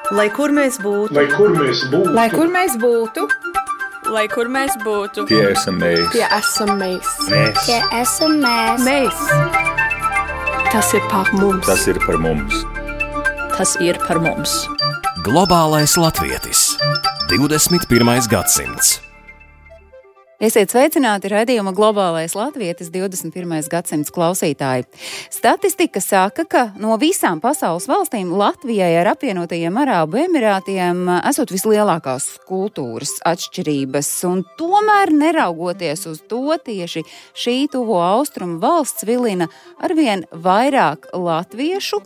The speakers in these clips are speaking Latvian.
Lai kur mēs būtu, Lai kur mēs būtu, Lai kur mēs būtu, Lai kur mēs būtu, Tie esam mēs. tie esam mēs. Tie esam mēs. Mēs. Tas ir par mums. Tas ir par mums. tas ir par mums. Globālais latvietis. 21. gadsimts. Esiet sveicināti raidījuma Globālais latvietis 21. gadsimts klausītāji. Statistika saka, ka no visām pasaules valstīm Latvijai ar apvienotajiem Arābu Emirātiem esot vislielākās kultūras atšķirības, un tomēr neraugoties uz to, tieši šī tuvo austrumu valsts vilina arvien vairāk latviešu,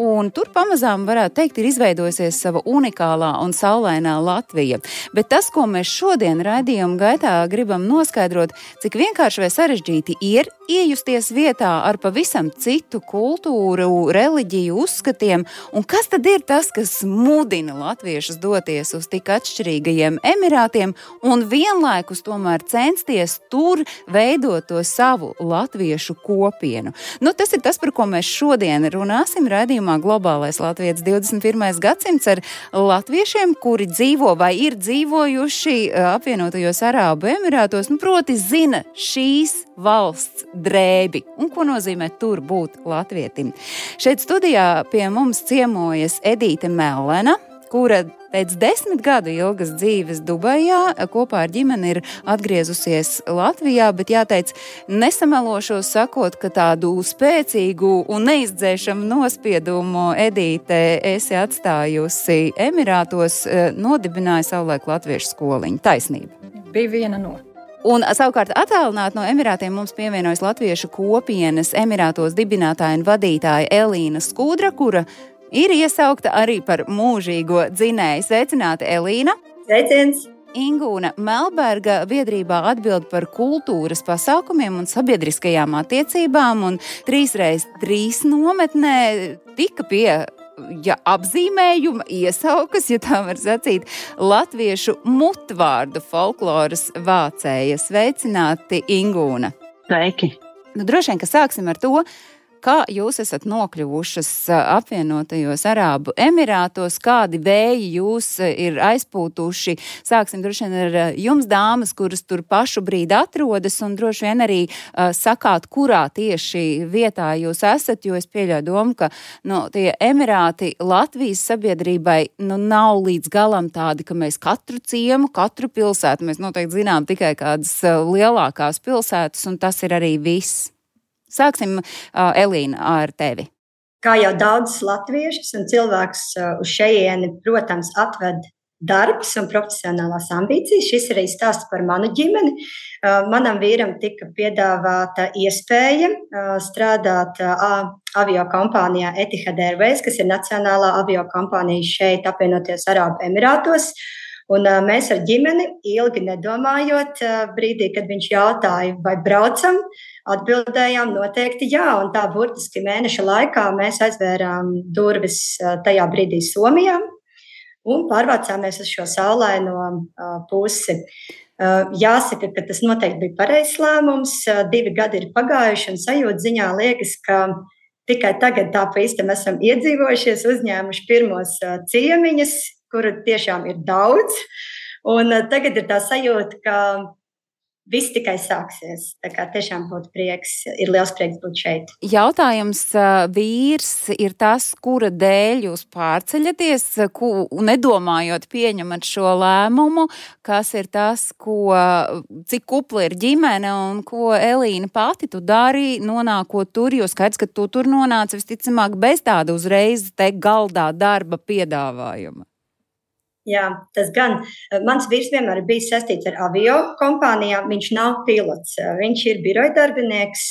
un tur pamazām varētu teikt ir izveidojusies sava unikālā un saulainā Latvija. Bet tas, ko mēs šodien raidījuma gaitā gribam noskaidrot, cik vienkārši vai sarežģīti ir iejusties vietā ar pavisam citu kultūru, reliģiju, uzskatiem, un kas tad ir tas, kas mudina latviešus doties uz tik atšķirīgajiem Emirātiem un vienlaikus tomēr censties tur veidot to savu latviešu kopienu. Tas ir tas, par ko mēs šodien runāsim raidījumā Globālais latvietis 21. gadsimts ar latviešiem, kuri dzīvo vai ir dzīvojuši apvienotajos Arābu Emirātos, proti zina šīs valsts drēbi un ko nozīmē tur būt latvietim. Šeit studijā pie mums ciemojas Edīte Mellena, kura pēc 10 gadu ilgas dzīves Dubajā kopā ar ģimeni ir atgriezusies Latvijā, bet jāteic, nesamelošos sakot, ka tādu spēcīgu un neizdzēšamu nospiedumu Edīte esi atstājusi Emirātos, nodibināja savulaik latviešu skoliņu. Taisnība. Bija viena no. Un savukārt attālināt no Emirātiem mums pievienojas latviešu kopienas Emirātos dibinātāja un vadītāja Elīna Skudra, kura ir iesaukta arī par mūžīgo dzinēju. Sveicināti, Elīna! Sveiciens! Ingūna Melberga biedrībā atbild par kultūras pasākumiem un sabiedriskajām attiecībām, un 3x3 nometnē tika pie apzīmējuma iesaukas, ja tā var sacīt, latviešu mutvārdu folkloras vācēja. Sveicināti, Ingūna! Sveiki! Droši vien, ka sāksim ar to, kā jūs esat nokļuvušas apvienotajos Arābu Emirātos, kādi vēji jūs ir aizpūtuši. Sāksim droši vien ar jums, dāmas, kuras tur pašu brīdi atrodas, un droši vien arī sakāt, kurā tieši vietā jūs esat, jo es pieļauju domu, ka tie Emirāti Latvijas sabiedrībai nav līdz galam tādi, ka mēs katru ciemu, katru pilsētu, mēs noteikti zinām tikai kādas lielākās pilsētas, un tas ir arī viss. Sāksim, Elīna, ar tevi. Kā jau daudzas latviešas un cilvēks uz šejieni, protams, atved darbs un profesionālās ambīcijas. Šis arī stāsts par manu ģimeni. Manam vīram tika piedāvāta iespēja strādāt aviokompānijā Etihad Airways, kas ir nacionālā aviokompānija šeit apvienoties Arābu Emirātos. Un mēs ar ģimeni ilgi nedomājot, brīdī, kad viņš jautāja, vai braucam, atbildējām noteikti jā. Un tā burtiski mēneša laikā mēs aizvērām durvis tajā brīdī Somijā un pārvācāmies uz šo saulaino pusi. Jāsaka, ka tas noteikti bija pareizs lēmums. 2 gadi ir pagājuši un sajūta ziņā liekas, ka tikai tagad tā pa īstam esam iedzīvojušies, uzņēmuši pirmos ciemiņus, kuru tiešām ir daudz, un tagad ir tā sajūta, ka viss tikai sāksies. Tā kā tiešām būtu prieks, ir liels prieks būt šeit. Jautājums vīrs ir tas, kura dēļ jūs pārceļaties, nedomājot pieņemat šo lēmumu, kas ir tas, cik kupla ir ģimene un ko Elīna pati tu dari, nonākot tur, jo skaidrs, ka tu tur nonāci visticamāk bez tāda uzreiz te galdā darba piedāvājuma. Jā, tas gan. Mans vīrs vienmēr ir bijis saistīts ar avio kompānijām. Viņš nav pilots, viņš ir birojadarbinieks.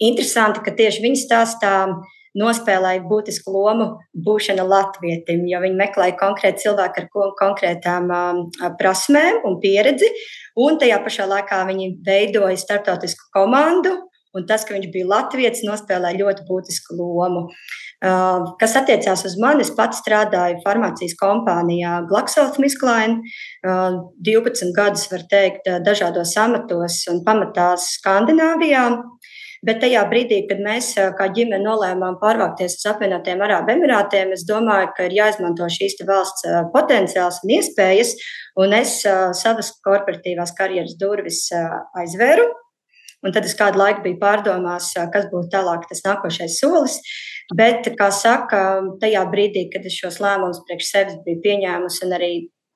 Interesanti, ka tieši viņa stāstā nospēlēja būtisku lomu būšana latvietim, jo viņi meklēja konkrēti cilvēku ar konkrētām prasmēm un pieredzi. Un tajā pašā laikā viņi veidoja starptautisku komandu. Un tas, ka viņš bija latvietis, nospēlēja ļoti būtisku lomu. Kas attiecās uz mani, es pats strādāju farmācijas kompānijā GlaxoSmithKline, 12 gadus, var teikt, dažādos amatos un pamatās Skandināvijā. Bet tajā brīdī, kad mēs kā ģimene nolēmām pārvākties uz apvienotajiem Arābu Emirātiem, es domāju, ka ir jāizmanto šīs valsts potenciāls un iespējas, un es savas korporatīvās karjeras durvis aizvēru. Un tad es kādu laiku biju pārdomās, kas būtu tālāk tas nākošais solis. Bet, kā saka, tajā brīdī, kad es šos lēmumus priekš sevis biju pieņēmusi un arī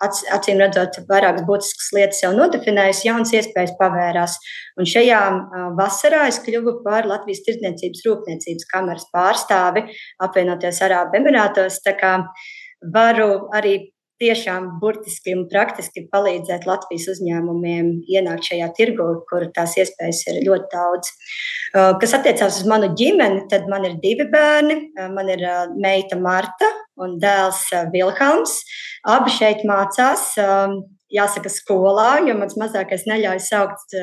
acīm redzot vairākas būtiskas lietas jau nodefinējusi, jaunas iespējas pavērās. Un šajā vasarā es kļuvu par Latvijas Tirdzniecības rūpniecības kameras pārstāvi apvienotajos Arābu Emirātos. Tā kā varu arī tiešām burtiski un praktiski palīdzēt Latvijas uzņēmumiem ienākt šajā tirgu, kur tās iespējas ir ļoti daudz. Kas attiecās uz manu ģimeni, tad man ir 2 bērni. Man ir meita Marta un dēls Vilhelms. Abi šeit mācās, jāsaka, skolā, jo mans mazākais neļauj saukt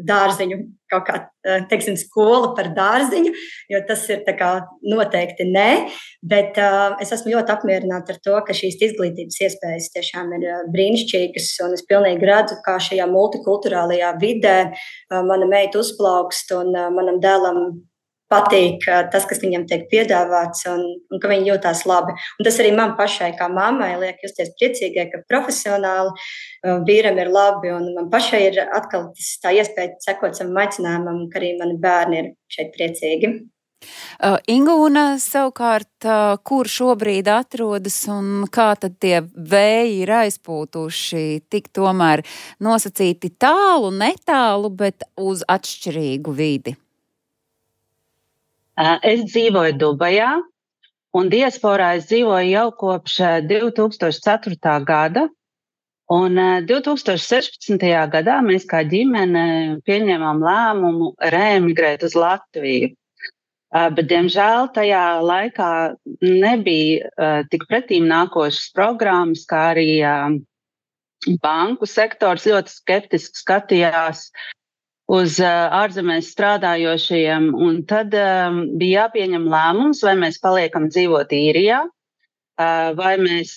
dārziņu, kaut kā, teiksim, skola par dārziņu, jo tas ir tā kā noteikti nē, bet es esmu ļoti apmierināta ar to, ka šīs izglītības iespējas tiešām ir brīnišķīgas, un es pilnīgi redzu, kā šajā multikulturālajā vidē mana meita uzplaukst, un manam dēlam patīk tas, kas viņam tiek piedāvāts, un ka viņi jūtās labi. Un tas arī man pašai, kā mammai, liek justies priecīgai, ka profesionāli vīram ir labi, un man pašai ir atkal tā iespēja sekot savam aicinājumam, ka arī mani bērni ir šeit priecīgi. Ingūna, savukārt, kur šobrīd atrodas un kā tad tie vēji ir aizpūtuši, tik tomēr nosacīti tālu, netālu, bet uz atšķirīgu vidi? Es dzīvoju Dubajā, un diasporā es dzīvoju jau kopš 2004. gada, un 2016. gadā mēs kā ģimene pieņēmām lēmumu reemigrēt uz Latviju. Bet, diemžēl, tajā laikā nebija tik pretīm nākošas programmas, kā arī banku sektors ļoti skeptiski skatījās uz ārzemēs strādājošajiem, un tad bija jāpieņem lēmums, vai mēs paliekam dzīvot Īrijā, vai mēs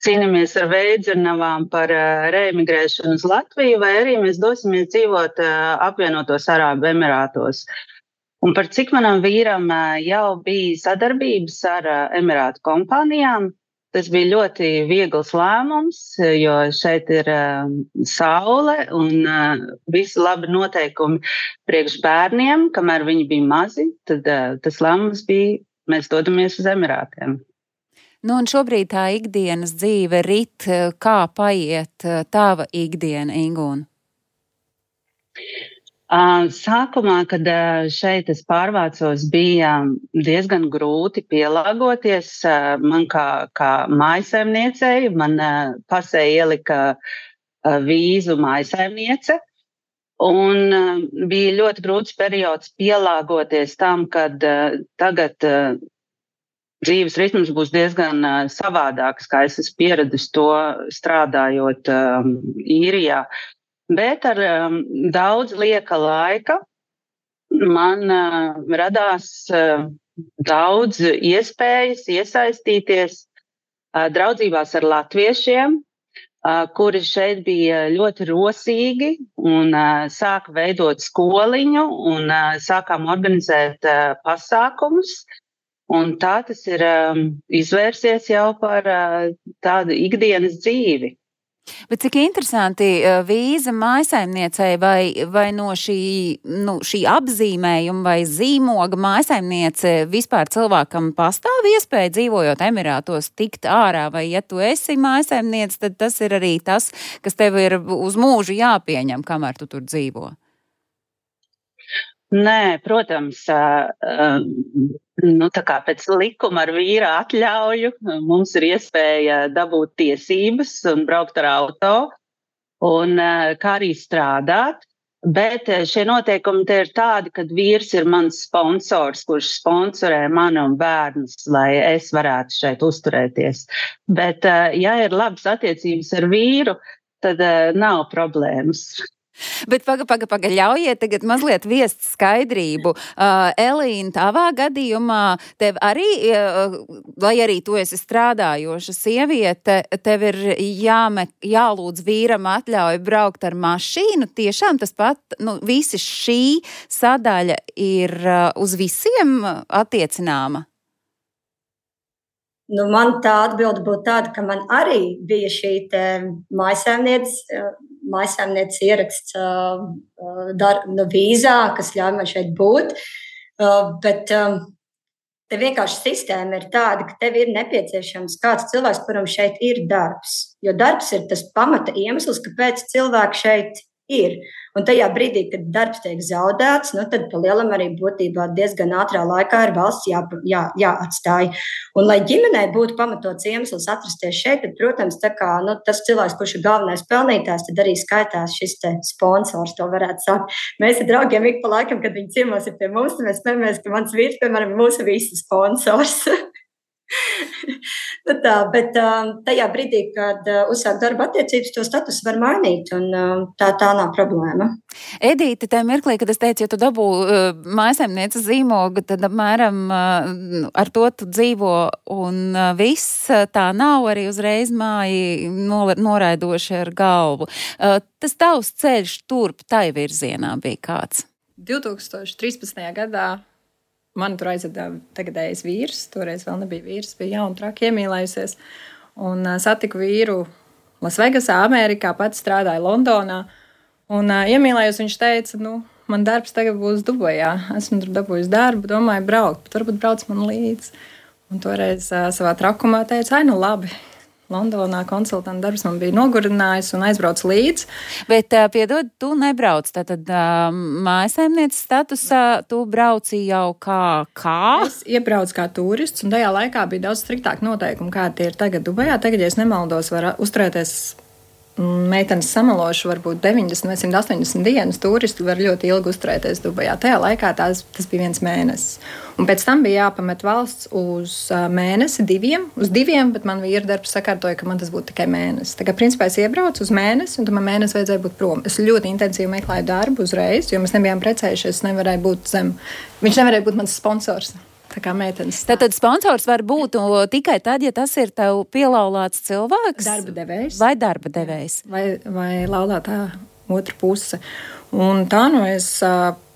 cīnāmies ar veidzernavām par reemigrēšanu uz Latviju, vai arī mēs dosimies dzīvot apvienotos Arābu Emirātos. Un par cik manam vīram jau bija sadarbības ar Emirātu kompānijām, tas bija ļoti viegls lēmums, jo šeit ir saule un visi labi noteikumi priekš bērniem, kamēr viņi bija mazi, tad tas lēmums bija, mēs dodamies uz Emirātiem. Nu, un šobrīd tā ikdienas dzīve rit, kā paiet tava ikdiena, Ingūna? Sākumā, kad šeit es pārvācos, bija diezgan grūti pielāgoties. Man kā mājsaimniecei, man pasē ielika vīzu mājsaimniece. Un bija ļoti grūts periods pielāgoties tam, kad tagad dzīves ritms būs diezgan savādāks, kā es esmu pieradis to strādājot Īrijā. Bet ar daudz lieka laika man radās daudz iespējas iesaistīties draudzībās ar latviešiem, kuri šeit bija ļoti rosīgi un sāka veidot skoliņu un sākām organizēt pasākumus. Un tā tas ir izvērsies jau par tādu ikdienas dzīvi. Bet cik interesanti, vīza mājsaimniecei vai no šī apzīmējuma vai zīmoga mājsaimniece vispār cilvēkam pastāv iespēja dzīvojot Emirātos tikt ārā, vai ja tu esi mājsaimniece, tad tas ir arī tas, kas tev ir uz mūžu jāpieņem, kamēr tu tur dzīvo? Nē, protams, tā kā pēc likuma ar vīra atļauju mums ir iespēja dabūt tiesības un braukt ar auto un kā arī strādāt, bet šie noteikumi te ir tādi, kad vīrs ir mans sponsors, kurš sponsorē mani un bērnus, lai es varētu šeit uzturēties. Bet, ja ir labas attiecības ar vīru, tad nav problēmas. Bet paga, ļaujiet tagad mazliet viest skaidrību. Elīna, tavā gadījumā tev arī, lai arī tu esi strādājoša sieviete, tev ir jālūdz vīram atļauju braukt ar mašīnu. Tiešām tas pat, visi šī sadaļa ir uz visiem attiecinājuma? Man tā atbilde būtu tāda, ka man arī bija šī mājsaimnieces ieraksts vīzā, kas ļauj man šeit būt, bet te vienkārši sistēma ir tāda, ka tev ir nepieciešams kāds cilvēks, kuram šeit ir darbs, jo darbs ir tas pamata iemesls, kāpēc cilvēki šeit ir. Un tajā brīdī, kad darbs tiek zaudēts, tad pa lielam arī būtībā diezgan ātrā laikā ir valsts jāatstāj. Un, lai ģimenei būtu pamatots iemesls atrasties šeit, tad, protams, tas cilvēks, kurš ir galvenais pelnītājs, tad arī skaitās šis te sponsors, to varētu sakt. Mēs ar draugiem ik pa laikam, kad viņi ciemos ir pie mums, tad mēs spējamies, ka mans vīrs, piemēram, mūsu visu sponsors. Bet tajā brīdī, kad uzsāk darba attiecības, to status var mainīt, un tā nav problēma. Edīte, tajā mirklī, kad es teicu, ja tu dabū mājsaimnieces zīmogu, tad apmēram ar to tu dzīvo, un viss tā nav arī uzreiz māji noraidoši ar galvu. Tas tavs ceļš turp tai virzienā bija kāds? 2013. gadā man tur aizveda tagadējais vīrs, toreiz vēl nebija vīrs, bija jauna traki iemīlējusies, un satiku vīru Lasvegasā, Amerikā, pats strādāja Londonā, un iemīlējos, viņš teica, man darbs tagad būs Dubajā, esmu tur dabūjis darbu, domāju braukt, bet varbūt brauc man līdzi, un toreiz savā trakumā teica, labi. Londonā konsultanta darbs man bija nogurinājis un aizbrauc līdzi. Bet, piedod, tu nebrauc, tātad mājsaimnieces statusā tu brauci jau kā? Es iebraucu kā turists, un tajā laikā bija daudz striktāk noteikumi, kā tie ir tagad Dubajā. Tagad, ja es nemaldos, var uzturēties meitenes samalošu varbūt 90 vai 180 dienas, turisti var ļoti ilgi uzturēties Dubajā. Tajā laikā tas bija 1 mēnesis. Un pēc tam bija jāpamet valsts uz mēnesi, 2, bet man vīra darbs sakārtoja, ka man tas būtu tikai mēnesis. Tā kā principā es iebraucu uz mēnesi, un tad man mēnesi vajadzēja būt prom. Es ļoti intensīvi meklēju darbu uzreiz, jo mēs nebijām precējušies, viņš nevarēja būt mans sponsors. Tā kā meitenes. Tātad sponsors var būt tikai tad, ja tas ir tev pielaulāts cilvēks? Darba devējs. Vai darba devējs? Vai laulātā otra puse. Un tā es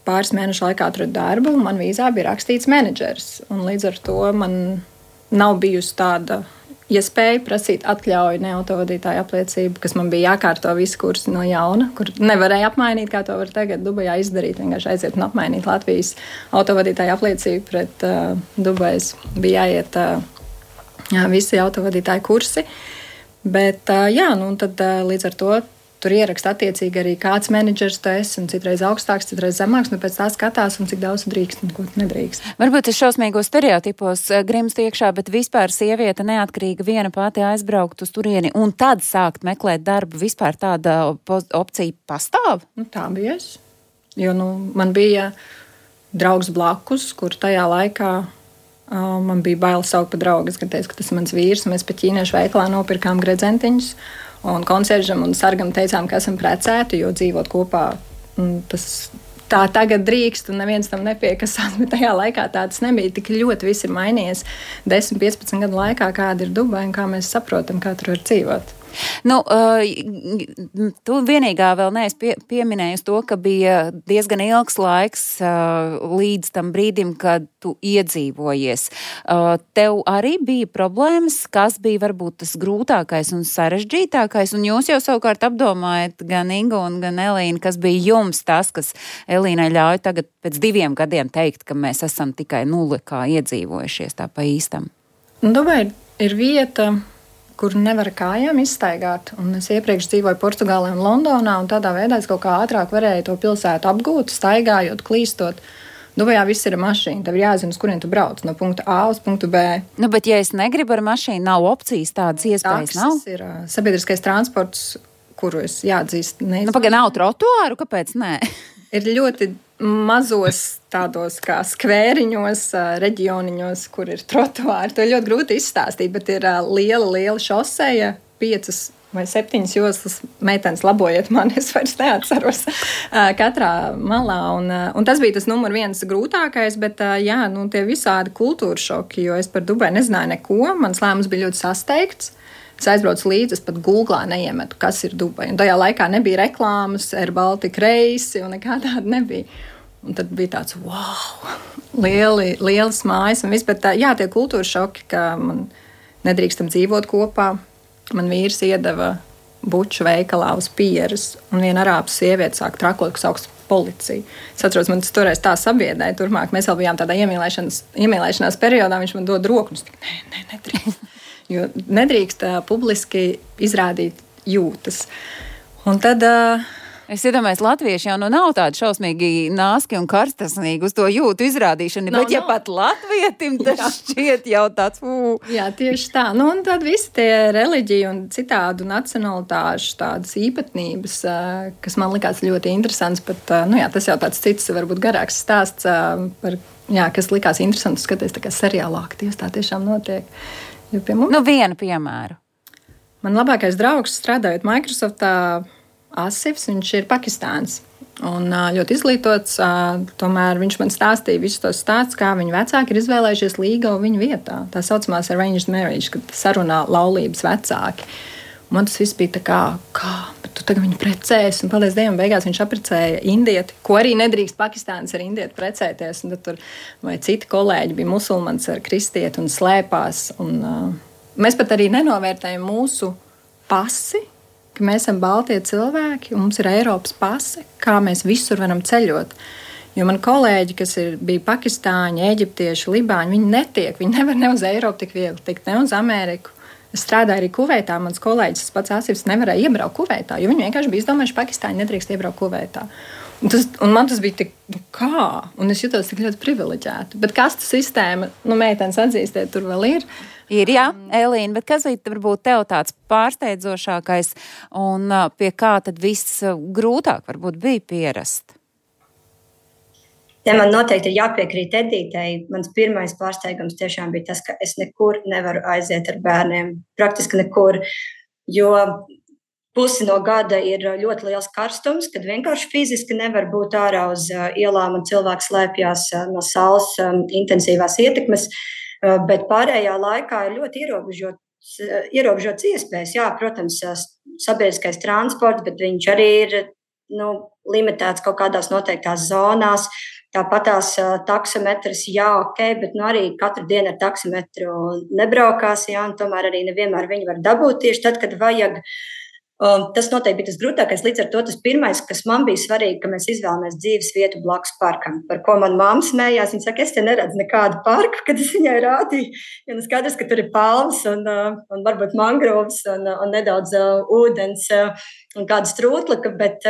pāris mēnešu laikā atradu darbu, un man vīzā bija rakstīts menedžers. Un līdz ar to man nav bijusi tāda iespēja prasīt atļauju neautovadītāju apliecību, kas man bija jākārto visu kursu no jauna, kur nevarēja apmainīt, kā to var tagad Dubajā izdarīt, vienkārši aiziet un apmainīt Latvijas autovadītāju apliecību pret Dubajas. Bija jāiet visi autovadītāju kursi, bet tad līdz ar to tur ieraksta attiecīgi arī kāds menedžers tu esi, un citreiz augstāks, citreiz zemāks, pēc tā skatās, un cik daudz drīkst un ko nedrīkst. Varbūt es šausmīgos stereotipos grimstu iekšā, bet vispār sieviete neatkarīga viena pati aizbraukt uz turieni un tad sākt meklēt darbu, vispār tāda opcija pastāv? Tā bija es. Jo man bija draugs blakus, kur tajā laikā man bija bail saukt pa draugu. Es teicu, ka tas ir mans vīrs, mēs pa ķīniešu veikalā nopirkām gredzentiņus, un konsieržam un sargam teicām, ka esam precēti, jo dzīvot kopā tā tagad drīkst, un neviens tam nepiekasās, bet tajā laikā tā tas nebija. Tik ļoti viss ir mainījies 10-15 gadu laikā, kāda ir Dubaja un kā mēs saprotam, kā tur var dzīvot. Tu vienīgā vēl neesi pieminējusi to, ka bija diezgan ilgs laiks līdz tam brīdim, kad tu iedzīvojies. Tev arī bija problēmas, kas bija varbūt tas grūtākais un sarežģītākais, un jūs jau savukārt apdomājat gan Ingu un gan Elīnu, kas bija jums tas, kas Elīnai ļauj tagad pēc 2 gadiem teikt, ka mēs esam tikai kā iedzīvojušies tā pa īstam. Dubai ir vieta, kur nevar kājām izstaigāt. Un es iepriekš dzīvoju Portugālē un Londonā, un tādā veidā es kaut kā ātrāk varēju to pilsētu apgūt, staigājot, klīstot. Dubajā viss ir mašīna, tev ir jāzina, uz kurien tu brauc, no punkta A uz punktu B. Bet ja es negribu ar mašīnu, nav opcijas, tādas iespējas nav? Taksis ir sabiedriskais transports, kuru es jāatzīst. Nav trotuāru, kāpēc nē? Ir ļoti mazos tādos kā skvēriņos, reģioniņos, kur ir trotuāri. To ir ļoti grūti izstāstīt, bet ir liela šoseja, 5 vai 7 joslas, meitenes labojiet mani, es vairs neatceros katrā malā. Un tas bija tas numur 1 grūtākais, bet jā, tie visādi kultūra šoki, jo es par Dubaju nezināju neko. Mans lēmums bija ļoti sasteigts. Es aizbraucu līdzi, es pat Googlā neiemetu, kas ir Dubaja. Un tajā laikā nebija reklāmas, Air Baltica reisi un nekā tāda nebija. Un tad bija tāds, wow, lielas mājas un viss. Bet jā, tie kultūra šoki, ka man nedrīkstam dzīvot kopā. Man vīrs iedeva buču veikalā uz pieras, un viena arābu sieviete sāk trakot, kas augsts policiju. Es atceros, man tas toreiz tā sabiedēja. Turmāk mēs vēl bijām tādā iemīlēšanās periodā, viņš man dod roku, un es tikai, nedrīkst. Jo nedrīkst publiski izrādīt jūtas. Un tad... Es iedomājos, latvieši jau nav tādi šausmīgi nāski un karstasnīgi uz to jūtu izrādīšanu, bet ja pat latvietim tas šķiet jau tāds, Jā, tieši tā. Un tad visi tie reliģiju un citādu nacionalitāšu tādas īpatnības, kas man likās ļoti interesants, bet, tas jau tāds cits, varbūt garāks stāsts, kas likās interesants skaties tā kā seriālā, ka tieši tā tiešām notiek. Jo pie mums... vienu piemēru. Man labākais draugs strādājot Microsoftā, Asifs, viņš ir Pakistāns un ļoti izglītots, tomēr viņš man stāstīja visus tos stāstus, kā viņa vecāki ir izvēlējušies līgavu viņa vietā. Tā saucamās arranged marriage, kad sarunā laulības vecāki. Un man tas viss bija tā kā, bet tu tagad viņu precēs, un paldies Dievam, beigās viņš apprecēja indieti, ko arī nedrīkst Pakistāns ar indieti precēties, un tad tur vai citi kolēģi bija musulmanis ar kristieti un slēpās, un mēs pat arī nenovērtējam mūsu pasi, ka mēs esam baltie cilvēki, un mums ir Eiropas pase, kā mēs visur varam ceļot. Jo man kolēģi, kas bija pakistāņi, eģiptieši, libāņi, viņi nevar ne uz Eiropu tik viegli tikt, ne uz Ameriku. Es strādāju arī Kuveitā, mans kolēģis, tas pats Asifs, nevarēja iebraukt Kuveitā, jo viņi vienkārši bija izdomājuši, Pakistāņi nedrīkst iebraukt Kuveitā. Un man tas bija tik, kā? Un es jutos tik ļoti privileģēta. Bet kastu sistēma, meitenes atzīstiet, tur vēl ir. Ir, jā, Elīna, bet kas varbūt tev tāds pārsteidzošākais un pie kā tad viss grūtāk varbūt bija pierast? Ja man noteikti ir jāpiekrīt Edītei. Mans pirmais pārsteigums tiešām bija tas, ka es nekur nevaru aiziet ar bērniem. Praktiski nekur, jo pusi no gada ir ļoti liels karstums, kad vienkārši fiziski nevar būt ārā uz ielām un cilvēks slēpjās no saules intensīvās ietekmes. Bet pārējā laikā ir ļoti ierobežots iespējas. Jā, protams, sabiedriskais transports, bet viņš arī ir limitēts kaut kādās noteiktās zonās. Tāpat tās taksometras, jā, ok, bet arī katru dienu ar taksometru nebraukās, jā, un tomēr arī nevienmēr viņi var dabūt tieši tad, kad vajag. Tas noteikti bija tas grūtākais. Līdz ar to tas pirmais, kas man bija svarīgi, ka mēs izvēlamies dzīves vietu blakus parkam, par ko man mamma smējās. Viņa saka, es te neredzu nekādu parku, kad es viņai rādīju. Ja skaidrs, ka tur ir palmas un varbūt mangrovs un nedaudz ūdens un kāda strūtlaka, bet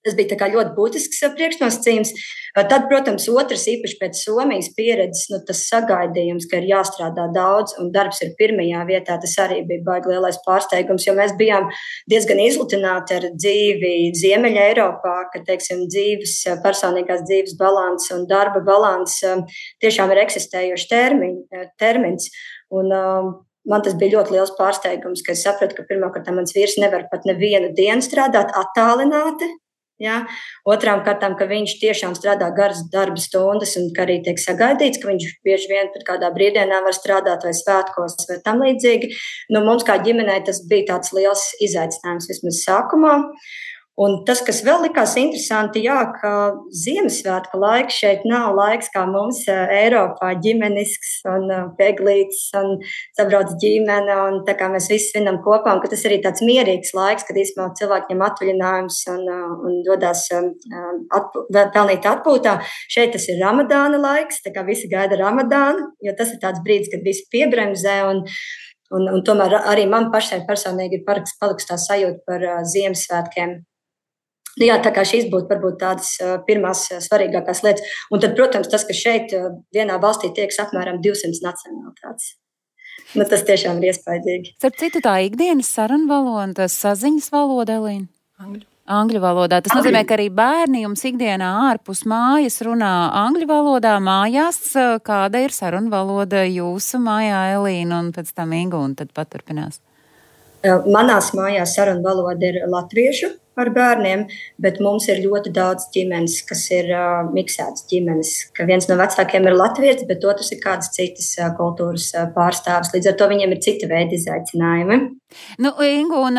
tas bija tā kā ļoti būtisks priekšnosacījums. Tad, protams, otrs īpaši pēc Somijas pieredzes, tas sagaidījums, ka ir jāstrādā daudz un darbs ir pirmajā vietā, tas arī bija baigi lielais pārsteigums, jo mēs bijām diezgan izlutināti ar dzīvi Ziemeļa Eiropā, ka, teiksim, personīgās dzīves balans un darba balans tiešām ir eksistējošs termins. Un man tas bija ļoti liels pārsteigums, ka es sapratu, ka pirmkārt mans vīrs nevar pat nevienu dienu strādāt attālināti. Ja? Otrām kārtām, ka viņš tiešām strādā garas darba stundas un ka arī tiek sagaidīts, ka viņš bieži vien pat kādā brīvdienā var strādāt vai svētkos vai tam līdzīgi. Mums kā ģimenei tas bija tāds liels izaicinājums vismaz sākumā. Un tas, kas vēl likās interesanti, jā, ka Ziemassvētku laiks šeit nav laiks kā mums Eiropā, ģimenisks un peglīts un sabrauc ģimene un tā kā mēs visi svinam kopā un ka tas arī tāds mierīgs laiks, kad īstenībā cilvēki ņem atvaļinājums un dodās pelnīt atpūtā. Šeit tas ir Ramadāna laiks, tā kā visi gaida Ramadānu, jo tas ir tāds brīdis, kad visi piebremzē un tomēr arī man pašai personīgi ir palikusi tā sajūta par Ziemassvētkiem. Jā, tā kā šīs būtu varbūt tādas pirmās svarīgākās lietas. Un tad, protams, tas, ka šeit vienā valstī tieks apmēram 200 nacionalitātes. Tas tiešām ir iespaidīgi. Starp citu, tā ikdienas sarunu valoda, tas saziņas valoda, Elīna? Angļu valodā. Tas nozīmē, ka arī bērni jums ikdienā ārpus mājas runā angļu valodā mājās. Kāda ir sarunu valoda jūsu mājā, Elīna, un pēc tam Inga, un tad paturpinās? Manās mājās sarunu valoda ir latviešu ar bērniem, bet mums ir ļoti daudz ģimenes, kas ir miksētas ģimenes, ka viens no vecākiem ir latvietis, bet otrs ir kādas citas kultūras pārstāvis. Līdz ar to viņiem ir cita veida izaicinājumi. Nu, Ingu, un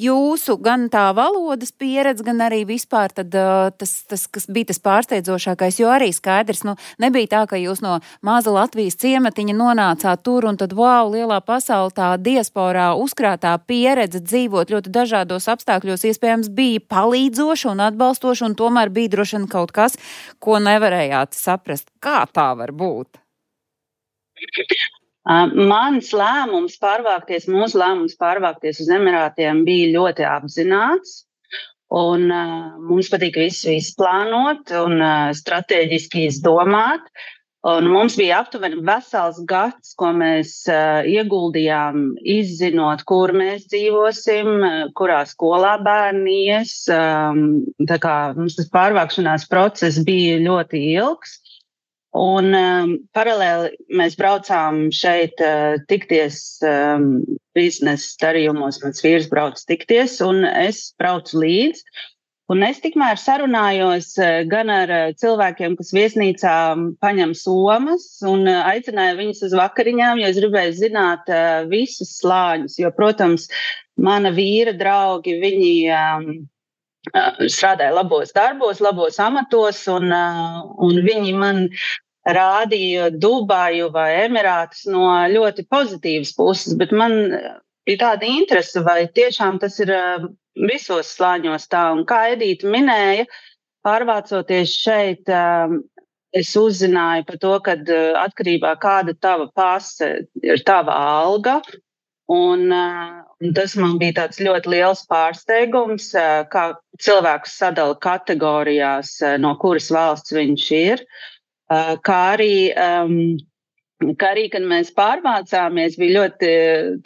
jūsu gan tā valodas pieredze, gan arī vispār tad, tas, kas bija tas pārsteidzošākais, jo arī skaidrs, nebija tā, ka jūs no maza Latvijas ciematiņa nonācāt tur un tad, lielā pasaulē tā diasporā uzkrātā pieredze dzīvot ļoti dažādos apstākļos iespējams bija palīdzoša un atbalstoša, un tomēr bija droši vien kaut kas, ko nevarējāt saprast. Kā tā var būt? Mans lēmums mūsu lēmums pārvākties uz Emirātiem bija ļoti apzināts, un mums patīk visu izplānot un strateģiski izdomāt. Un mums bija aptuveni vesels gads, ko mēs ieguldījām, izzinot, kur mēs dzīvosim, kurā skolā bērni ies. Tā kā mums tas pārvākšanās process bija ļoti ilgs. Un paralēli mēs braucām šeit tikties biznesa darījumos, mans vīrs brauc tikties, un es braucu līdzi. Un es tikmēr sarunājos gan ar cilvēkiem, kas viesnīcā paņem somas, un aicināju viņus uz vakariņām, jo es gribēju zināt visus slāņus, jo, protams, mana vīra draugi, viņi strādāja labos darbos, labos amatos, un viņi man rādīja Dubaju vai Emirātus no ļoti pozitīvas puses, bet man bija tāda interese, vai tiešām tas ir visos slāņos tā. Un kā Edīte minēja, pārvācoties šeit, es uzzināju par to, ka atkarībā kāda tava pase ir tava alga. Un tas man bija tāds ļoti liels pārsteigums, kā cilvēkus sadala kategorijās, no kuras valsts viņš ir. Kā arī, kad mēs pārvācāmies, bija ļoti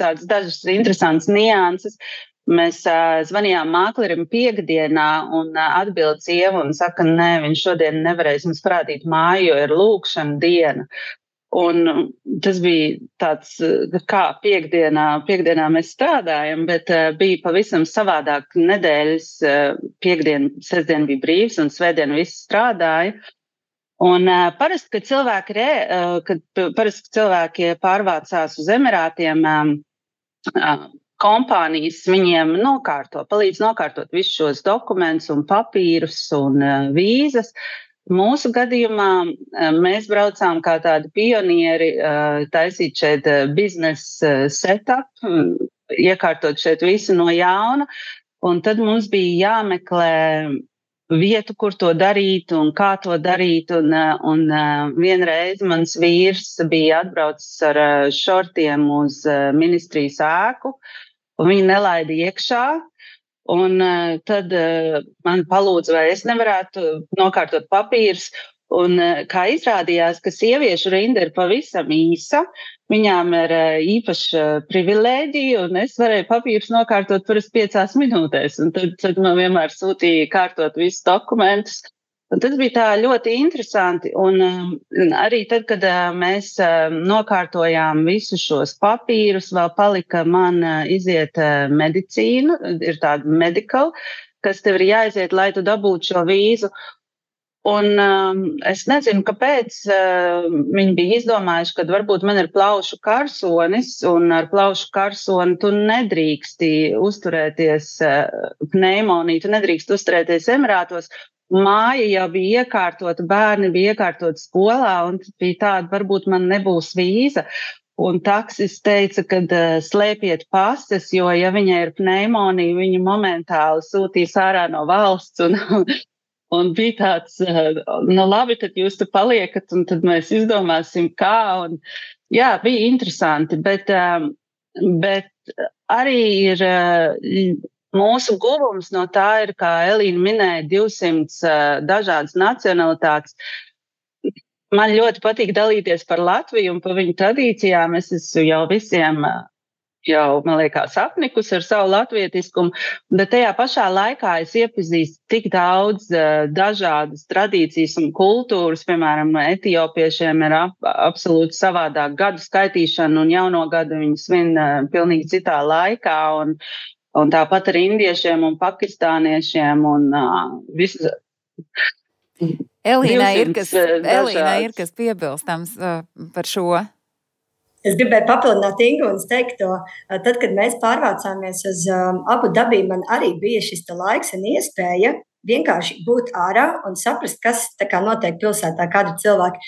tāds dažas interesants nianses. Mēs zvanījām māklerim piekdienā un atbild sieva un saka, nē, viņš šodien nevarēs mums parādīt māju, jo ir lūkšana diena. Un tas bija tāds, kā piekdienā mēs strādājam, bet bija pavisam savādāk nedēļas. Piekdien, sestdien bija brīvs un svētdien visi strādāja. Un parasti, kad cilvēki pārvācās uz Emirātiem, kompānijas viņiem palīdz nokārtot visus šos dokumentus un papīrus un vīzas. Mūsu gadījumā mēs braucām kā tādi pionieri taisīt šeit biznesa setup, iekārtot šeit visu no jauna, un tad mums bija jāmeklē vietu, kur to darīt un kā to darīt, un vienreiz mans vīrs bija atbraucis ar šortiem uz ministrijas ēku, un viņi nelaida iekšā. Un tad man palūdza, vai es nevarētu nokārtot papīrus. Un kā izrādījās, ka sieviešu rinda ir pavisam īsa, viņām ir īpaša privilēģija, un es varēju papīrus nokārtot parasti 5 minūtēs. Un tad man vienmēr sūtīja kārtot visus dokumentus. Un tas bija tā ļoti interesanti. Un arī tad, kad mēs nokārtojām visus šos papīrus, vēl palika man iziet medicīnu, ir tāda medical, kas tev ir jāiziet, lai tu dabūtu šo vīzu. Un es nezinu, kāpēc viņi bija izdomājuši, ka varbūt man ir plaušu karsonis, un ar plaušu karsoni tu nedrīksti uzturēties pneimoniju, tu nedrīksti uzturēties Emirātos. Māja jau bija iekārtota, bērni bija iekārtoti skolā, un bija tāda, varbūt man nebūs vīza. Un taksis teica, ka slēpiet pases, jo, ja viņai ir pneimonija, viņu momentāli sūtīs ārā no valsts. Un bija tāds, labi, tad jūs te paliekat, un tad mēs izdomāsim, kā. Un, jā, bija interesanti, bet arī ir... Mūsu guvums no tā ir, kā Elīna minēja, 200 dažādas nacionalitātes. Man ļoti patīk dalīties par Latviju un par viņu tradīcijām. Es esmu jau visiem jau, man liekas, apnikus ar savu latvietiskumu, bet tajā pašā laikā es iepazīstu tik daudz dažādas tradīcijas un kultūras, piemēram, etiopiešiem ir absolūti savādāk gadu skaitīšana un jauno gadu viņi svin pilnīgi citā laikā, un tāpat ar indiešiem un pakistāniešiem un visu. Elīnai ir kas piebilstams par šo. Es gribēju papildināt Ingu un teikt to, tad, kad mēs pārvācāmies uz Abu Dabī, man arī bija šis laiks un iespēja vienkārši būt ārā un saprast, kas tā kā notiek pilsētā, kādi cilvēki.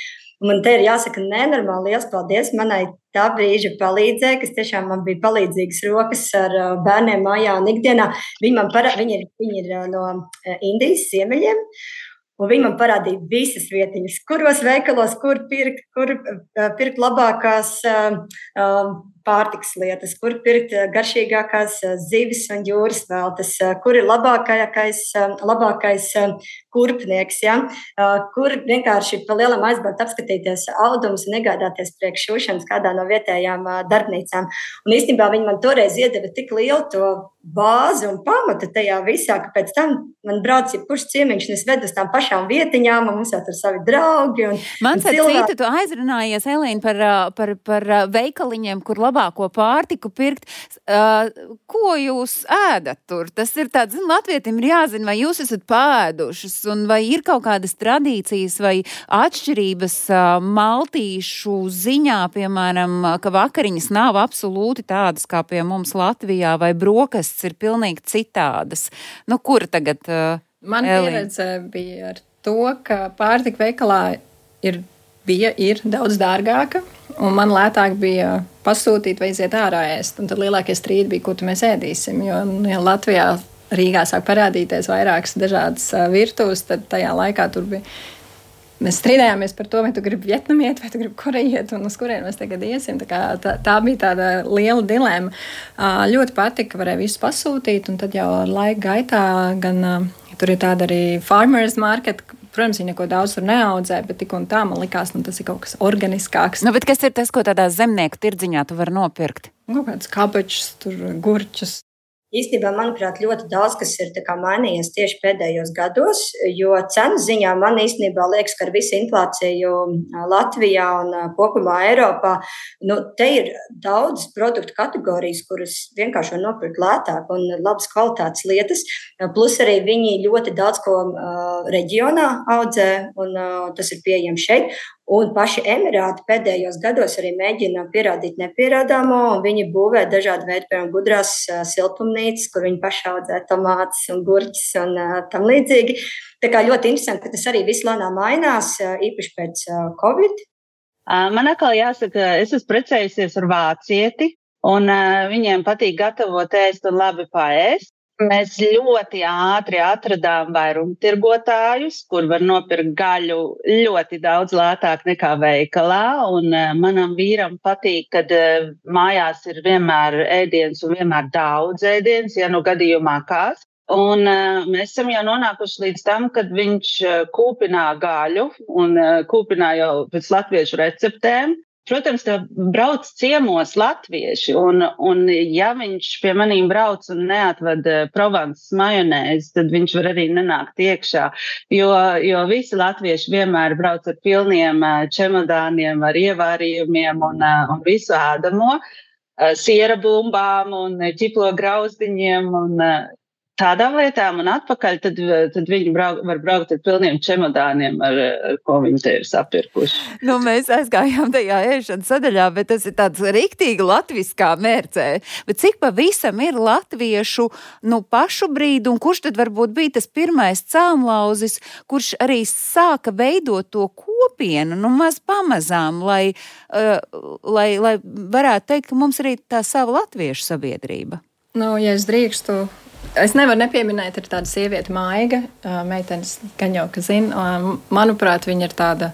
Man te ir jāsaka nenormāli liels paldies manai tā brīža palīdzēja, kas tiešām man bija palīdzīgas rokas ar bērniem mājā un ikdienā. Viņi ir no Indijas ziemeļiem. Un viņi man parādīja visas vietiņas, kuros veikalos, kur pirkt labākās pārtikas lietas, kur pirkt garšīgākās zivis un jūras veltes, kur ir labākais kurpnieks, ja? Kur vienkārši pa lielam aizbraukt apskatīties audumus un iegādāties priekš šūšanas kādā no vietējām darbnīcām. Un īstenībā viņi man toreiz iedeva tik lielu to bāzi un pamatu tajā visā, ka pēc tam man brauc jebkurš ciemiņš, un es vedu uz tām pašām vietiņām, un mums jau tur savi draugi. Man citu, tu aizrunājies, Elīna, par veikaliņiem, kur labāko pārtiku pirkt. Ko jūs ēdat tur? Tas ir tāds, latvietim ir jāzina, vai jūs esat pāēdušas, un vai ir kaut kādas tradīcijas vai atšķirības maltīšu ziņā, piemēram, ka vakariņas nav absolūti tādas kā pie mums Latvijā, vai brokastis ir pilnīgi citādas. Nu, kur tagad, Man pieredze bija ar to, ka pārtika veikalā ir daudz dārgāka, un man lētāk bija pasūtīt vai iziet ārā ēst. Un tad lielākie strīdi bija, ko mēs ēdīsim, jo Latvijā Rīgā sāk parādīties vairākas dažādas virtuves, tad tajā laikā tur bija. Mēs strīdējāmies par to, vai tu gribi vietnamiet, vai tu gribi korejiet, un uz kurien mēs tagad iesim. Tā bija tāda liela dilēma. Ļoti patika, varēja visu pasūtīt, un tad jau laika gaitā gan tur ir tāda arī farmers market. Protams, viņi neko daudz tur neaudzē, bet tik un tā man likās, tas ir kaut kas organiskāks. Bet kas ir tas, ko tādā zemnieku tirdziņā tu vari nopirkt? Kaut kāds kabačs, tur gurčus. Īstenībā, manuprāt, ļoti daudz, kas ir mainījies tieši pēdējos gados, jo cenu ziņā man īstenībā liekas, ka ar visu inflāciju Latvijā un kopumā Eiropā, te ir daudz produktu kategorijas, kuras vienkārši var nopirkt lētāk un labas kvalitātes lietas, plus arī viņi ļoti daudz ko reģionā audzē, un tas ir pieejams šeit. Un paši Emirāti pēdējos gados arī mēģina pierādīt nepierādāmo, un viņi būvē dažādi veidi, piemēram, gudrās siltumnīcas, kur viņi paši audzē tomātus un gurķus un tam līdzīgi. Tā kā ļoti interesanti, ka tas arī viss lēnām mainās, īpaši pēc Covid. Man atkal jāsaka, es esmu precējusies ar vācieti, un viņiem patīk gatavot ēst un labi paēst. Mēs ļoti ātri atradām vairumtirgotājus, kur var nopirkt gaļu ļoti daudz lētāk nekā veikalā, un manam vīram patīk, kad mājās ir vienmēr ēdiens un vienmēr daudz ēdiens, ja gadījumā kāds. Un mēs esam jau nonākuši līdz tam, kad viņš kūpinā gaļu un kūpinā jau pēc latviešu receptēm. Protams, tā brauc ciemos latvieši, un ja viņš pie manīm brauc un neatved Provances majonēzi, tad viņš var arī nenākt iekšā, jo visi latvieši vienmēr brauc ar pilniem čemodāniem, ar ievārījumiem un visu ēdamo, siera bumbām un ķiplo grauzdiņiem un tādām lietām, un atpakaļ tad viņi var braukt ar pilniem čemodāniem, ar ko viņi te ir sapirkuši. Mēs aizgājām tajā ēšanas sadaļā, bet tas ir tāds riktīgi latviskā mērcē. Bet cik pavisam ir latviešu pašu brīdi, un kurš tad varbūt bija tas pirmais celmlauzis, kurš arī sāka veidot to kopienu, maz pamazām, lai varētu teikt, ka mums arī tā sava latviešu sabiedrība? Ja es drīkstu, es nevaru nepieminēt, ir tāda sieviete Maiga, meitenes gan jau, ka zina. Manuprāt, viņa ir tāda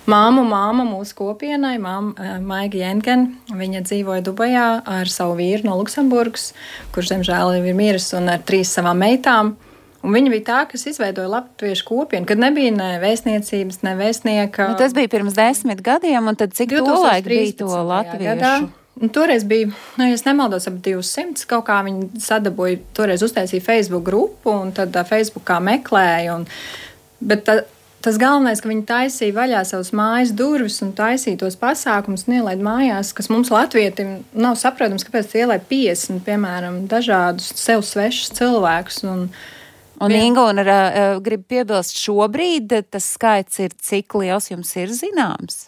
māma mūsu kopienai, Maiga Jengen. Viņa dzīvoja Dubajā ar savu vīru no Luksemburgas, kurš, diemžēl, ir miris, un ar 3 savām meitām. Un viņa bija tā, kas izveidoja latviešu kopienu, kad nebija ne vēstniecības, ne vēstnieka. Tas bija pirms 10 gadiem, un tad cik tolaik bija to latviešu? Toreiz bija, ja es nemaldos, ap 200 kaut kā viņi sadabūja, toreiz uztaisīja Facebook grupu un tad Facebookā meklēja. Bet tas galvenais, ka viņi taisīja vaļā savus mājas durvis un taisīja tos pasākumus un ielaid mājās, kas mums latvietim nav saprotams, kāpēc ielaid 50, piemēram, dažādus sev svešus cilvēkus. Un Inga, grib piebilst, šobrīd tas skaits ir, cik liels jums ir zināms?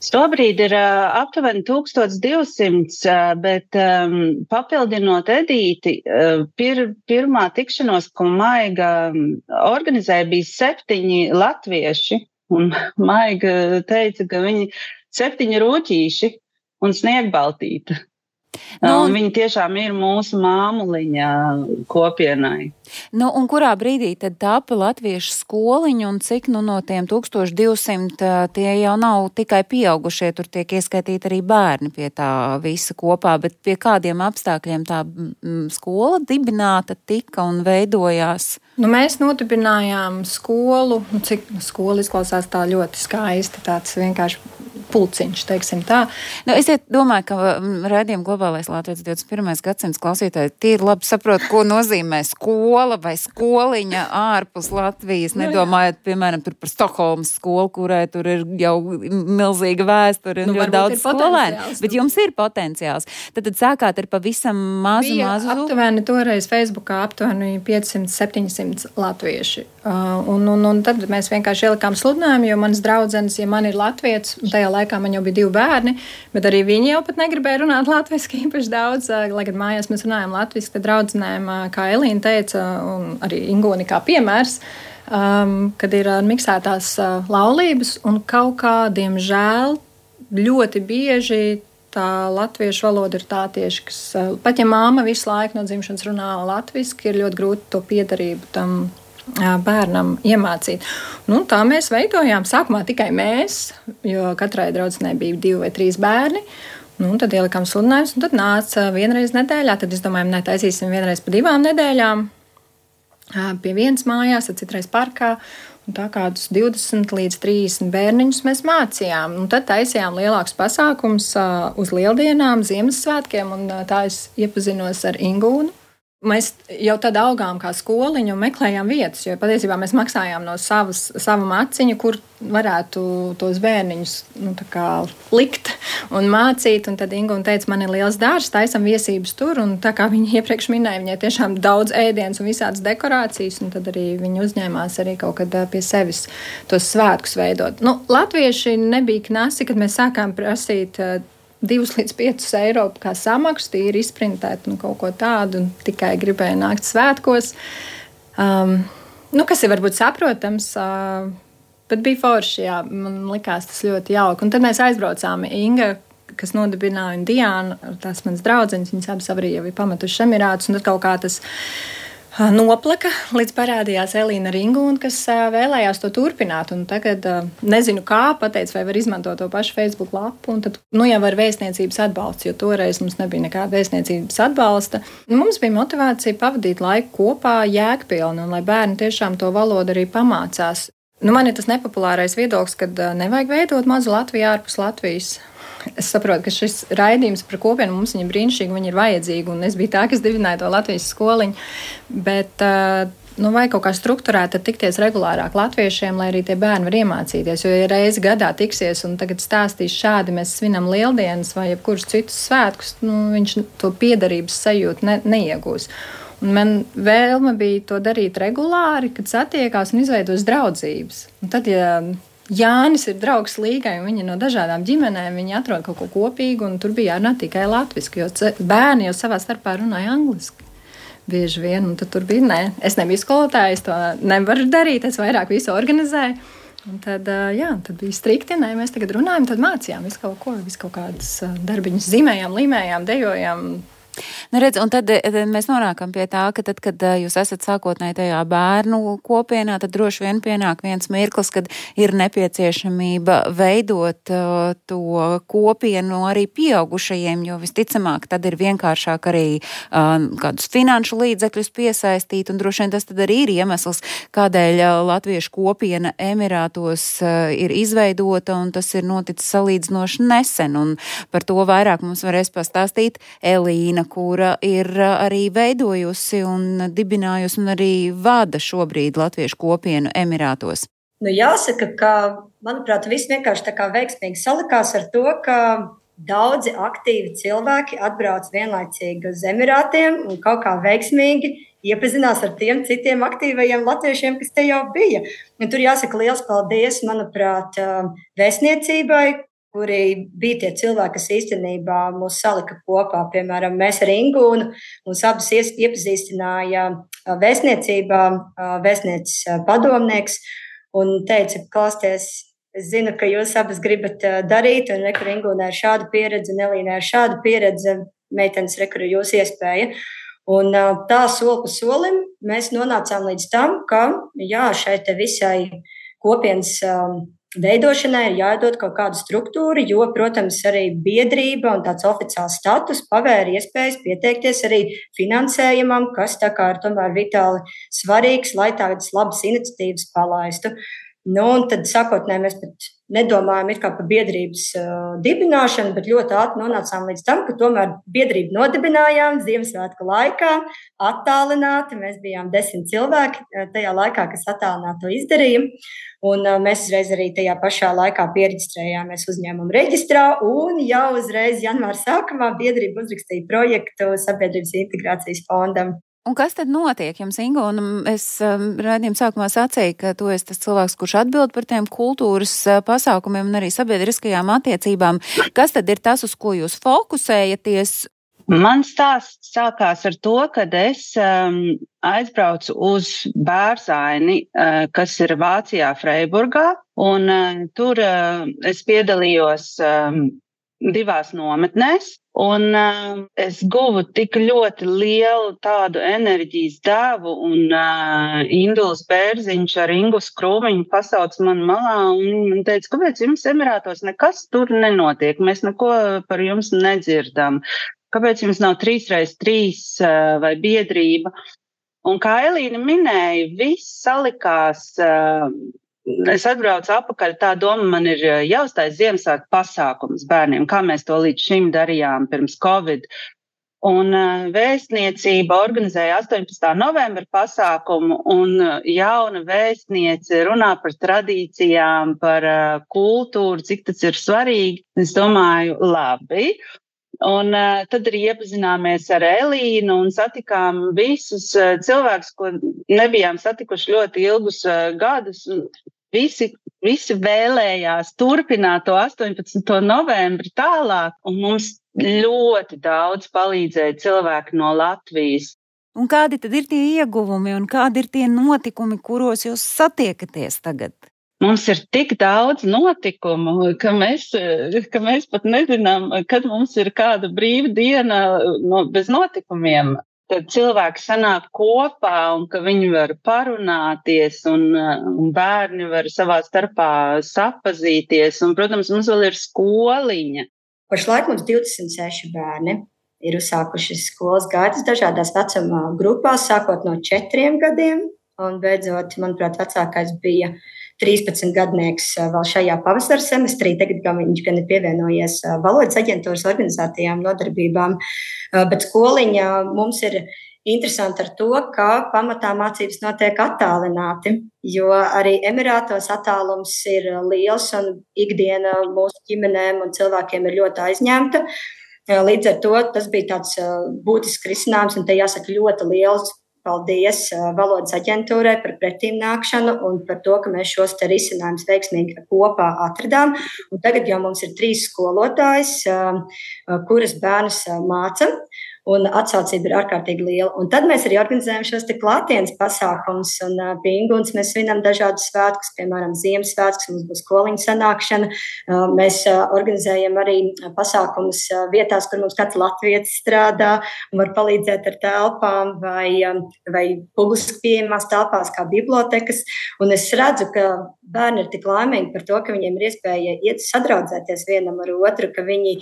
Šobrīd ir aptuveni 1200, bet papildinot Edīti, pirmā tikšanos, ko Maiga organizēja, bija 7 latvieši. Un Maiga teica, ka viņi 7 rūķīši un sniegbaltīta. Viņi tiešām ir mūsu māmuliņa kopienai. Un kurā brīdī tad tāpa latviešu skoliņa un cik no tiem 1200 tie jau nav tikai pieaugušie, tur tiek ieskaitīti arī bērni pie tā visa kopā, bet pie kādiem apstākļiem tā skola dibināta tika un veidojās? Mēs nodibinājām skolu, cik skola izklausās tā ļoti skaisti, tāds vienkārši pulciņš, teiksim tā. Es domāju, ka raidījuma Globālais Latvijas 21. gadsimts klausītāji tīri labi saprot, ko nozīmē skola vai skoliņa ārpus Latvijas. Nedomājot, piemēram, tur par Stokholmas skolu, kurai tur ir jau milzīga vēsture un ļoti daudz skolēnu. Bet jums ir potenciāls. Tad sākāt ar pavisam mazu. Aptuveni toreiz Facebookā aptuveni 500-700 latvieši. Un tad mēs vienkārši ielikām sludinājumu, jo manas draudzenes, ja man ir latvietis, tajā laikā man jau bija 2 bērni, bet arī viņi jau pat negribēja runāt latviski īpaši daudz, lai gan mājās mēs runājam latviski, tad draudzenēm, kā Elīna teica, un arī Ingoni kā piemērs, kad ir miksētās laulības, un kaut kā, diemžēl, ļoti bieži tā latviešu valoda ir tā tieši, kas, pat ja māma visu laiku no dzimšanas runā latviski, ir ļoti grūti to piedarību tam bērnam iemācīt. Tā mēs veidojām sākumā tikai mēs, jo katrai draudzenei bija 2 vai 3 bērni. Tad ielikām sludinājumus, un tad nāca vienreiz nedēļā. Tad es domāju, taisīsim vienreiz pa 2 nedēļām pie vienas mājās, tad citreiz parkā. Un tā kādus 20 līdz 30 bērniņus mēs mācījām. Tad taisījām lielākus pasākumus uz Lieldienām, Ziemassvētkiem, un tā es iepazinos ar Ingūnu. Mēs jau tad augām kā skoliņu un meklējām vietas, jo patiesībā mēs maksājām no sava maciņa, kur varētu tos bērniņus likt un mācīt. Un tad Ingūna teica, man ir liels dārzs, taisam viesības tur, un tā kā viņa iepriekš minēja, viņai tiešām daudz ēdienas un visādas dekorācijas, un tad arī viņa uzņēmās arī kaut kad pie sevis tos svētkus veidot. Latvieši nebija knasi, kad mēs sākām prasīt 2 līdz 5 eiro kā samaksu, tīri izprintēt un kaut ko tādu, un tikai gribēja nākt svētkos. Kas ir varbūt saprotams, bet bija forši, jā, man likās tas ļoti jauki. Un tad mēs aizbraucām Inga, kas nodibināja, un Diana, tās manas draudzenes, viņas abas arī jau ir pametušas Emirātus, un tad kaut kā tas noplaka, līdz parādījās Elīna ar Ingūnu, kas vēlējās to turpināt. Un tagad nezinu kā, pateicu, vai var izmantot to pašu Facebook lapu. Un tad jau var vēstniecības atbalsts, jo toreiz mums nebija nekāda vēstniecības atbalsta. Mums bija motivācija pavadīt laiku kopā jēgpilni, un lai bērni tiešām to valodu arī pamācās. Man ir tas nepopulārais viedoklis, kad nevajag veidot mazu Latviju ārpus Latvijas. Es saprotu, ka šis raidījums par kopienu mums viņa brīnišķīgi, viņa ir vajadzīga, un es biju tā, kas dibināja to Latvijas skoliņu, bet vajag kaut kā strukturēt, tad tikties regulārāk latviešiem, lai arī tie bērni var iemācīties, jo ja reizi gadā tiksies un tagad stāstīs šādi, mēs svinam Lieldienas vai jebkurus citus svētkus, viņš to piederības sajūtu neiegūs. Un man vēlme bija to darīt regulāri, kad satiekās un izveidos draudzības. Un tad, ja Jānis ir draugs Līgai, un viņi no dažādām ģimenēm, viņi atrod kaut ko kopīgu, un tur bija jārunā tikai latviski, jo bērni jau savā starpā runāja angliski. Bieži vien, un tad tur bija, es nebiju skolotāja, es to nevaru darīt, es vairāk visu organizēju. Un tad bija strikti, mēs tagad runājam, tad mācījām visu kaut kādas darbiņas, zīmējām, līmējām, dejojām. Nu, redz, un tad mēs nonākam pie tā, ka tad, kad jūs esat sākotnēji tajā bērnu kopienā, tad droši vien pienāk viens mirklis, kad ir nepieciešamība veidot to kopienu arī pieaugušajiem, jo visticamāk tad ir vienkāršāk arī kādus finanšu līdzekļus piesaistīt, un droši vien tas tad arī ir iemesls, kādēļ latviešu kopiena Emirātos ir izveidota, un tas ir noticis salīdzinoši nesen, un par to vairāk mums varēs pastāstīt Elīna, kura ir arī veidojusi un dibinājusi un arī vada šobrīd latviešu kopienu Emirātos. Nu, jāsaka, ka, manuprāt, viss vienkārši tā kā veiksmīgi salikās ar to, ka daudzi aktīvi cilvēki atbrauc vienlaicīgi uz Emirātiem un kaut kā veiksmīgi iepazinās ar tiem citiem aktīvajiem latviešiem, kas te jau bija. Un tur jāsaka liels paldies, manuprāt, vēstniecībai, kuri bija tie cilvēki, kas īstenībā mūs salika kopā. Piemēram, mēs ar Ingūnu mūs abas iepazīstināja vēstniecībā, vēstnieces padomnieks, un teica, klausieties, es zinu, ka jūs abas gribat darīt, un rekur Ingūnai ir šāda pieredze, un Elīnai ir šāda pieredze, meitenes rekur ir jūsu iespēja. Un tā soli pa solim mēs nonācām līdz tam, ka jā, šai te visai kopienas veidošanai ir jādod kaut kāda struktūra, jo, protams, arī biedrība un tāds oficiāls status pavēra iespējas pieteikties arī finansējumam, kas tā kā ir tomēr vitāli svarīgs, lai tādas labas iniciatīvas palaistu. Nu, un tad sākotnēji mēs pat nedomājam it kā par biedrības dibināšanu, bet ļoti ātri nonācām līdz tam, ka tomēr biedrību nodibinājām Ziemassvētku laikā, attālināti. Mēs bijām 10 cilvēki tajā laikā, kas attālināti to izdarīja. Un mēs uzreiz arī tajā pašā laikā pieregistrējāmies uzņēmumu reģistrā, un jau uzreiz janvāra sākumā biedrība uzrakstīja projektu Sabiedrības integrācijas fondam. Un kas tad notiek jums, Ingo? Un es raidījuma sākumā sacīju, ka tu esi tas cilvēks, kurš atbild par tiem kultūras pasākumiem un arī sabiedriskajām attiecībām. Kas tad ir tas, uz ko jūs fokusējaties? Mans stāsts sākās ar to, kad es aizbraucu uz Bērzaini, kas ir Vācijā, Freiburgā, un tur es piedalījos 2 nometnēs, un es guvu tik ļoti lielu tādu enerģijas devu, un Induls Bērziņš ar Ingu Skrūmiņu pasauc man malā un teica, kāpēc jums Emirātos nekas tur nenotiek, mēs neko par jums nedzirdam, kāpēc jums nav 3x3 vai biedrība. Un kā Elīna minēja, viss salikās. Es atbraucu apakaļ, tā doma man ir jāuztais Ziemassvētku pasākums bērniem, kā mēs to līdz šim darījām pirms Covid. Un vēstniecība organizēja 18. novembra pasākumu, un jauna vēstniece runā par tradīcijām, par kultūru, cik tas ir svarīgi. Es domāju, labi. Un tad arī iepazināmies ar Elīnu un satikām visus cilvēkus, ko nebijām satikuši ļoti ilgus gadus. Visi vēlējās turpināt to 18. novembri tālāk, un mums ļoti daudz palīdzēja cilvēki no Latvijas. Un kādi tad ir tie ieguvumi un kādi ir tie notikumi, kuros jūs satiekaties tagad? Mums ir tik daudz notikumu, ka mēs pat nezinām, kad mums ir kāda brīva diena bez notikumiem. Tad cilvēki sanāk kopā un ka viņi var parunāties un bērni var savā starpā sapazīties. Un, protams, mums vēl ir skoliņa. Pašlaik mums 26 bērni ir uzsākuši skolas gaitas dažādās vecuma grupās, sākot no 4 gadiem. Un beidzot, manuprāt, vecākais bija 13 gadnieks vēl šajā pavasara semestrī. Tagad viņš gan ir pievienojies valodas aģentūras organizētajām nodarbībām. Bet skoliņa mums ir interesanti ar to, ka pamatā mācības notiek attālināti, jo arī Emirātos attālums ir liels un ikdiena mūsu ģimenēm un cilvēkiem ir ļoti aizņemta. Līdz ar to tas bija tāds būtisks risinājums, un te jāsaka ļoti liels paldies valodas aģentūrai par pretīmnākšanu un par to, ka mēs šos te risinājumus veiksmīgi kopā atradām. Un tagad jau mums ir 3 skolotājas, kuras bērnus māca. un atsaucība ir ārkārtīgi liela. Un tad mēs arī organizējam šos te klātienes pasākumus, un pie Ingūnas mēs svinam dažādus svētkus, piemēram, Ziemassvētkus, mums būs koliņu sanākšana. Mēs organizējam arī pasākumus vietās, kur mums kāds latvietis strādā un var palīdzēt ar telpām vai publiski pieejamās telpās kā bibliotekas. Un es redzu, ka bērni ir tik laimīgi par to, ka viņiem ir iespēja iet sadraudzēties vienam ar otru, ka viņi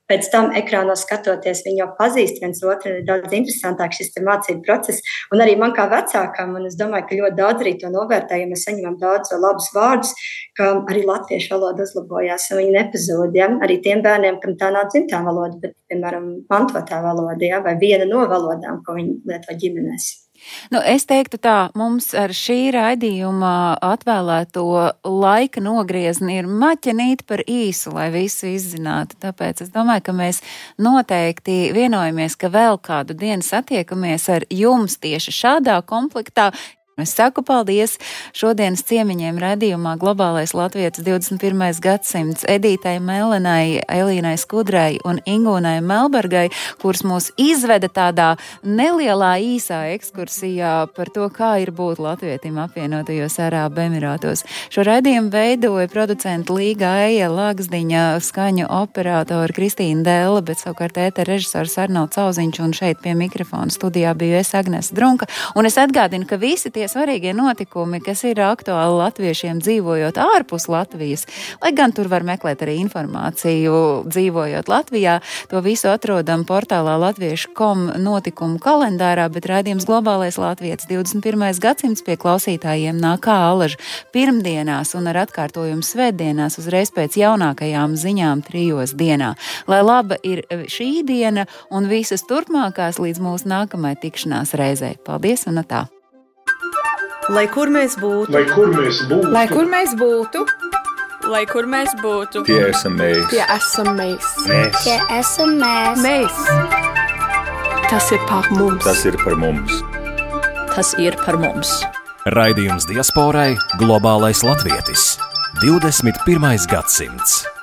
pēc tam ekrānos skatoties, viņi jau pazīst viens otru, ir daudz interesantāk šis mācību process. Un arī man kā vecākam, un es domāju, ka ļoti daudz arī to novērtē, ja mēs saņemam daudz labus vārdus, ka arī latviešu valoda uzlabojās, un viņi nepazūd. Ja? Arī tiem bērniem, kam tā nav dzimtā valoda, bet, piemēram, mantotā valoda, ja? Vai viena no valodām, ko viņi lieto ģimenēs. Nu, es teiktu tā, mums ar šī raidījuma atvēlēto laika nogriezni ir maķenīt par īsu, lai visu izzinātu. Tāpēc es domāju, ka mēs noteikti vienojamies, ka vēl kādu dienu satiekamies ar jums tieši šādā komplektā. Es saku paldies šodienas ciemiņiem raidījumā Globālais latvietis 21. gadsimts Edītai Melenai, Elīnai Skudrai un Ingūnai Melbergai, kuras mūs izveda tādā nelielā īsā ekskursijā par to, kā ir būt latvietim apvienotajos Arābu Emirātos. Šo raidījumu veidoja producenta Līga Eja Lagzdiņa, skaņu operātori Kristīna Dēla, bet savukārt ētera režisors Arnolds Auziņš, un šeit pie mikrofona studijā biju es Agnese Drunka. Un es atgādinu, ka visi tie svarīgie notikumi, kas ir aktuāli latviešiem dzīvojot ārpus Latvijas, lai gan tur var meklēt arī informāciju dzīvojot Latvijā, to visu atrodam portālā latviešu.com notikumu kalendārā, bet raidījums Globālais latvietis 21. gadsimts pie klausītājiem nāk kā alaži pirmdienās un ar atkārtojumu svētdienās uzreiz pēc jaunākajām ziņām 3 dienā. Lai laba ir šī diena un visas turpmākās līdz mūsu nākamai tikšanās reizei. Paldies un tā! Lai kur mēs būtu, Lai kur mēs būtu, Lai kur mēs būtu, lai kur mēs būtu, Tie esam mēs. tie esam mēs. Tie esam mēs. Mēs. Tas ir par mums. Tas ir par mums. tas ir par mums. Raidījums diasporai Globālais latvietis 21. gadsimts.